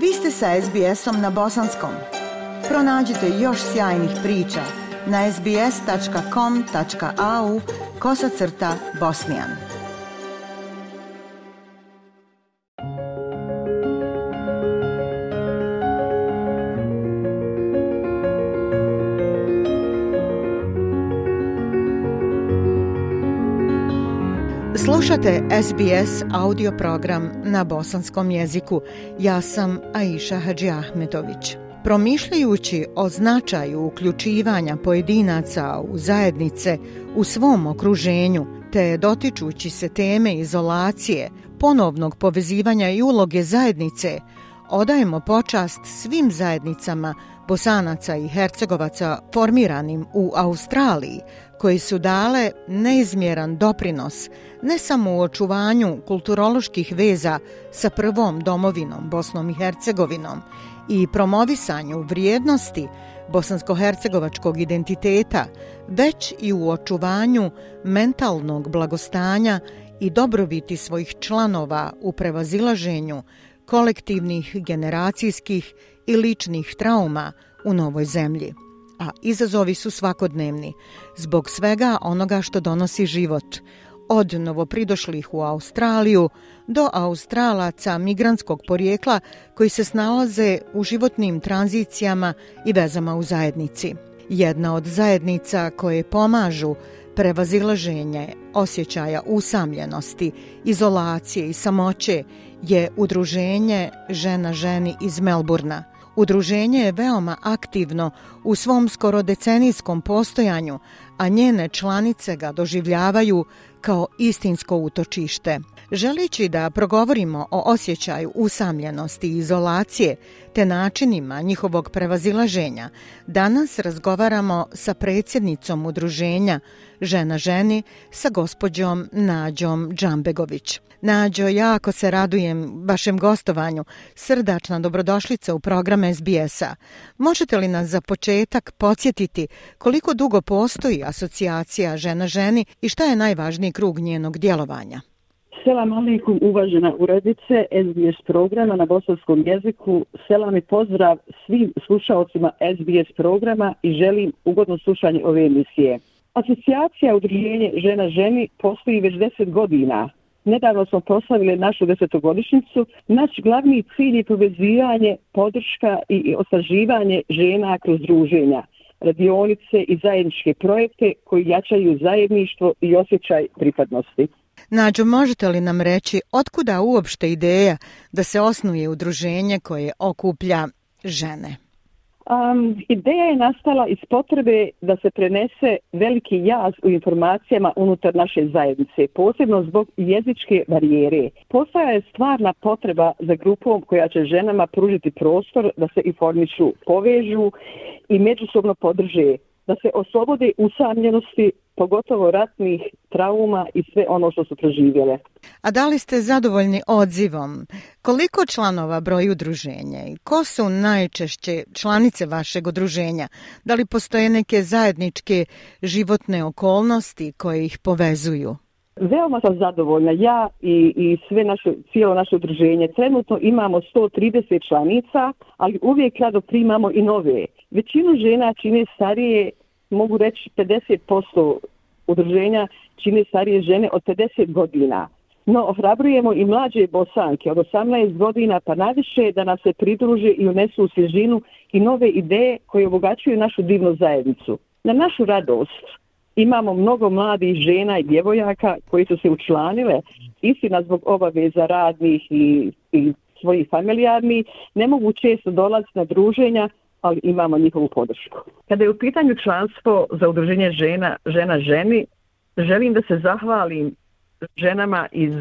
Vi ste sa SBS-om na bosanskom. Pronađite još sjajnih priča na sbs.com.au/bosnijan. Slušate SBS audio program na bosanskom jeziku. Ja sam Aisha Hadžiahmetović. Promišljajući o značaju uključivanja pojedinaca u zajednice u svom okruženju, te dotičući se teme izolacije, ponovnog povezivanja i uloge zajednice, odajemo počast svim zajednicama Bosanaca i Hercegovaca formiranim u Australiji, koji su dale neizmjeran doprinos ne samo u očuvanju kulturoloških veza sa prvom domovinom Bosnom i Hercegovinom i promovisanju vrijednosti bosansko-hercegovačkog identiteta, već i u očuvanju mentalnog blagostanja i dobrobiti svojih članova u prevazilaženju kolektivnih, generacijskih i ličnih trauma u novoj zemlji. A izazovi su svakodnevni, zbog svega onoga što donosi život, od novopridošlih u Australiju do Australaca migrantskog porijekla koji se snalaze u životnim tranzicijama i vezama u zajednici. Jedna od zajednica koje pomažu prevazilaženje osjećaja usamljenosti, izolacije i samoće je Udruženje Žena ženi iz Melburna. Udruženje je veoma aktivno u svom skoro decenijskom postojanju, a njene članice ga doživljavaju kao istinsko utočište. Želeći da progovorimo o osjećaju usamljenosti i izolacije te načinima njihovog prevazilaženja, danas razgovaramo sa predsjednicom Udruženja Žena ženi, sa gospođom Nađom Džambegović. Nađo, jako se radujem vašem gostovanju. Srdačna dobrodošlica u program SBS-a. Možete li nas za početak podsjetiti koliko dugo postoji asocijacija Žena ženi i šta je najvažniji krug njenog djelovanja? Selam alaikum, uvažena urednice SBS programa na bosanskom jeziku. Selam i pozdrav svim slušaocima SBS programa i želim ugodno slušanje ove emisije. Asocijacija Udruženje Žena ženi postoji već 10 godina. Nedavno smo proslavili našu 10-godišnjicu. Naš glavni cilj je povezivanje, podrška i osnaživanje žena kroz druženja, radionice i zajedničke projekte koji jačaju zajedništvo i osjećaj pripadnosti. Nađo, možete li nam reći otkuda uopšte ideja da se osnuje udruženje koje okuplja žene? Ideja je nastala iz potrebe da se prenese veliki jaz u informacijama unutar naše zajednice, posebno zbog jezičke barijere. Postoja je stvarna potreba za grupom koja će ženama pružiti prostor da se informišu, povežu i međusobno podrže, da se oslobode usamljenosti, pogotovo ratnih trauma i sve ono što su proživjele. A da li ste zadovoljni odzivom? Koliko članova broji udruženje? Ko su najčešće članice vašeg udruženja? Da li postoje neke zajedničke životne okolnosti koje ih povezuju? Veoma sam zadovoljna. Ja i cijelo naše udruženje. Trenutno imamo 130 članica, ali uvijek rado primamo i nove. Većinu žena čine starije, mogu reći 50% udruženja čine starije žene od 50 godina. No, ohrabrujemo i mlađe Bosanke od 18 godina pa naviše da nam se pridruže i unesu u svježinu i nove ideje koje obogaćuju našu divnu zajednicu. Na našu radost imamo mnogo mladih žena i djevojaka koji su se učlanile, istina zbog obaveza radnih i svojih familijarnih, ne mogu često dolaziti na druženja, ali imamo njihovu podršku. Kada je u pitanju članstvo za udruženje žena ženi, želim da se zahvalim ženama iz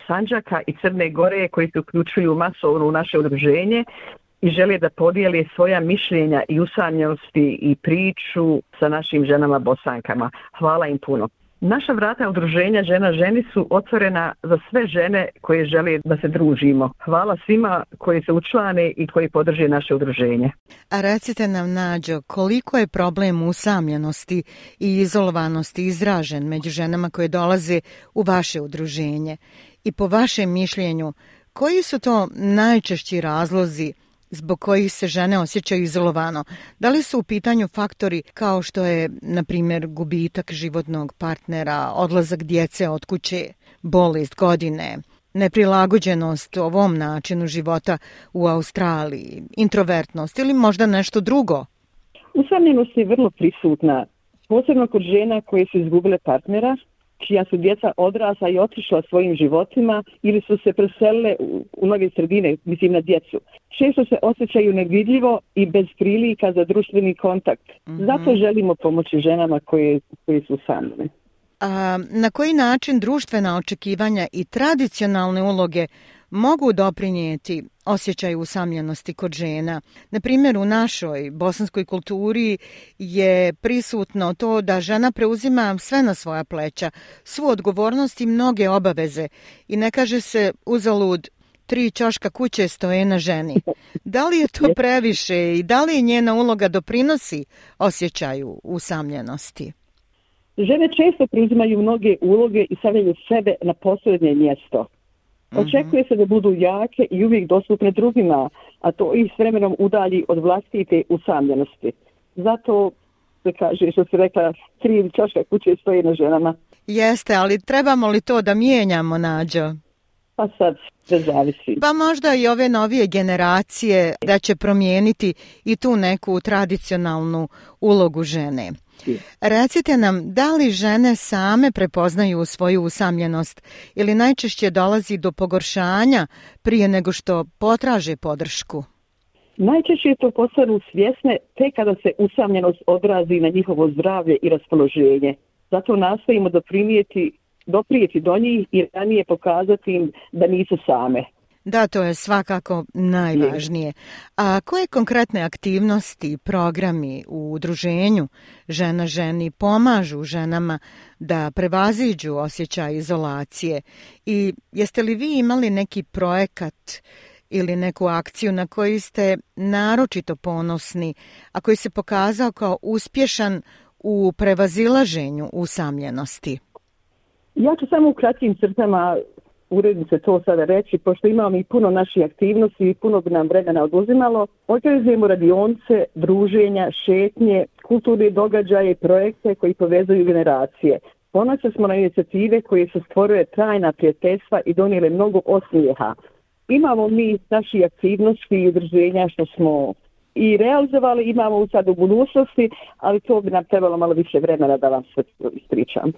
Sandžaka i Crne Gore koji se uključuju masovno u naše udruženje i žele da podijele svoja mišljenja i usamljenosti i priču sa našim ženama Bosankama. Hvala im puno. Naša vrata udruženja Žena ženi su otvorena za sve žene koje žele da se družimo. Hvala svima koji se učlane i koji podrže naše udruženje. A recite nam, Nađo, koliko je problem usamljenosti i izolovanosti izražen među ženama koje dolaze u vaše udruženje? I po vašem mišljenju, Koji su to najčešći razlozi zbog kojih se žene osjećaju izolovano? Da li su u pitanju faktori kao što je, na primjer, gubitak životnog partnera, odlazak djece od kuće, bolest, godine, neprilagođenost ovom načinu života u Australiji, introvertnost ili možda nešto drugo? Usamljenost je vrlo prisutna, posebno kod žena koje su izgubile partnera, čija su djeca odrasla i otišla svojim životima ili su se preselile u nove sredine, mislim na djecu. Često se osjećaju nevidljivo i bez prilika za društveni kontakt. Zato želimo pomoći ženama koje su usamljene. A na koji način društvena očekivanja i tradicionalne uloge mogu doprinijeti osjećaju usamljenosti kod žena? Na primjer, u našoj bosanskoj kulturi je prisutno to da žena preuzima sve na svoja pleća, svu odgovornost i mnoge obaveze i ne kaže se uzalud 3 ćoška kuće stoje na ženi. Da li je to previše i da li njena uloga doprinosi osjećaju usamljenosti? Žene često preuzimaju mnoge uloge i stavljaju sebe na posljednje mjesto. Očekuje se da budu jake i uvijek dostupne drugima, a to ih s vremenom udalji od vlastite usamljenosti. Zato se kaže, što se rekla, 3 ćoška kuće stoje na ženama. Jeste, ali trebamo li to da mijenjamo, Nađo? Pa sad sve zavisi. Pa možda i ove novije generacije da će promijeniti i tu neku tradicionalnu ulogu žene. Recite nam, da li žene same prepoznaju svoju usamljenost ili najčešće dolazi do pogoršanja prije nego što potraže podršku? Najčešće to postanu svjesne tek kada se usamljenost odrazi na njihovo zdravlje i raspoloženje. Zato nastojimo doprijeti do njih i ranije pokazati im da nisu same. Da, to je svakako najvažnije. A koje konkretne aktivnosti, programi u udruženju Žena ženi pomažu ženama da prevaziđu osjećaj izolacije? I jeste li vi imali neki projekat ili neku akciju na koji ste naročito ponosni, a koji se pokazao kao uspješan u prevazilaženju usamljenosti? Ja ću samo u kratkim crtama uredim se to sada reći, pošto imamo i puno naših aktivnosti i puno bi nam vremena oduzimalo. Organizujemo radionice, druženja, šetnje, kulturne događaje i projekte koji povezuju generacije. Ponosni smo na inicijative koje su stvorile trajna prijateljstva i donijele mnogo osmijeha. Imamo mi naši aktivnosti i udruženja što smo i realizovali, imamo sad u budućnosti, ali to bi nam trebalo malo više vremena da vam sve ispričam.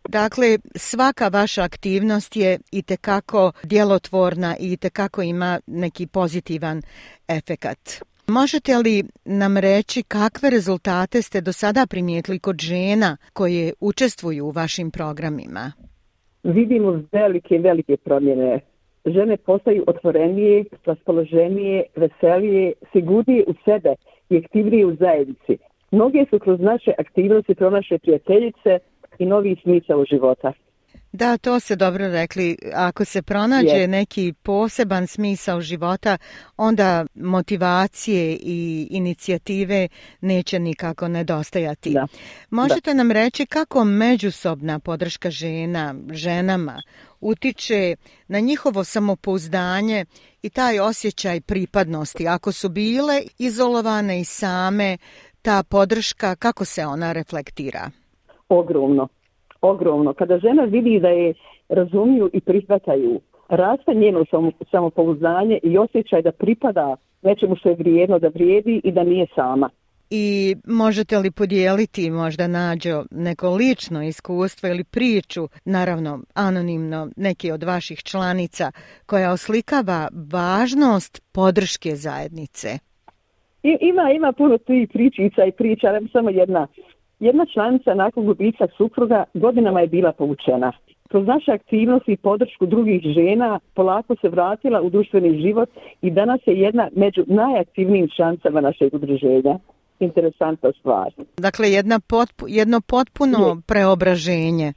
Dakle, svaka vaša aktivnost je itekako djelotvorna i itekako ima neki pozitivan efekat. Možete li nam reći kakve rezultate ste do sada primijetili kod žena koje učestvuju u vašim programima? Vidimo velike promjene. Žene postaju otvorenije, raspoloženije, veselije, sigurnije u sebe i aktivnije u zajednici. Mnoge su kroz naše aktivnosti pronašle prijateljice i novi smisao života. Da, to ste dobro rekli. Ako se pronađe neki poseban smisao života, onda motivacije i inicijative neće nikako nedostajati. Da. Možete nam reći kako međusobna podrška ženama utiče na njihovo samopouzdanje i taj osjećaj pripadnosti? Ako su bile izolovane i same, ta podrška, kako se ona reflektira? Ogromno. Kada žena vidi da je razumiju i prihvataju, raste njeno samopouzdanje i osjećaj da pripada nečemu što je vrijedno, da vrijedi i da nije sama. I možete li podijeliti možda, Nađo, neko lično iskustvo ili priču, naravno anonimno, neki od vaših članica, koja oslikava važnost podrške zajednice? Ima puno tih pričica i priča, ali samo jedna. Jedna članica nakon gubitka supruga godinama je bila povučena. Kroz naše aktivnosti i podršku drugih žena polako se vratila u društveni život i danas je jedna među najaktivnijim članicama našeg udruženja. Interesantna stvar. Dakle, jedno potpuno preobraženje.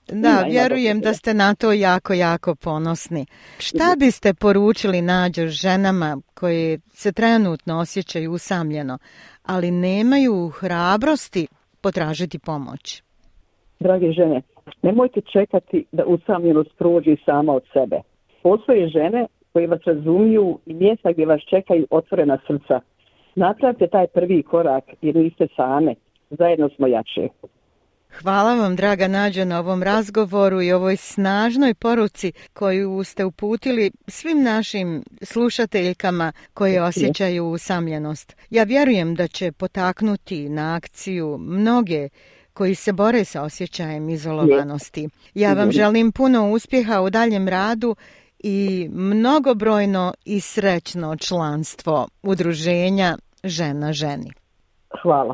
Da, vjerujem da ste na to jako ponosni. Šta biste poručili, Nađo, ženama koje se trenutno osjećaju usamljeno, ali nemaju hrabrosti potražiti pomoć? Drage žene, nemojte čekati da usamljenost prođe sama od sebe. postoje žene koje vas razumiju i mjesta gdje vas čekaju otvorena srca. Napravite taj prvi korak jer niste same. Zajedno smo jače. Hvala vam, draga Nađa, na ovom razgovoru i ovoj snažnoj poruci koju ste uputili svim našim slušateljkama koje osjećaju usamljenost. Ja vjerujem da će potaknuti na akciju mnoge koji se bore sa osjećajem izolovanosti. Ja vam želim puno uspjeha u daljem radu i mnogobrojno i srećno članstvo udruženja Žena ženi.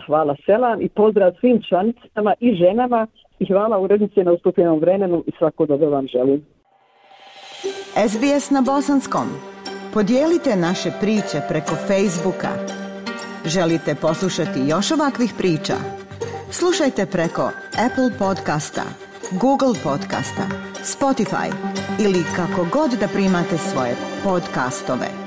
Hvala selam i pozdrav svim članicama i ženama i hvala urednice na ustupljenom vremenu i svako dobro vam želim. SBS na bosanskom. Podijelite naše priče preko Facebooka. Želite poslušati još ovakvih priča? Slušajte preko Apple podcasta, Google podcasta, Spotify ili kako god da primate svoje podcastove.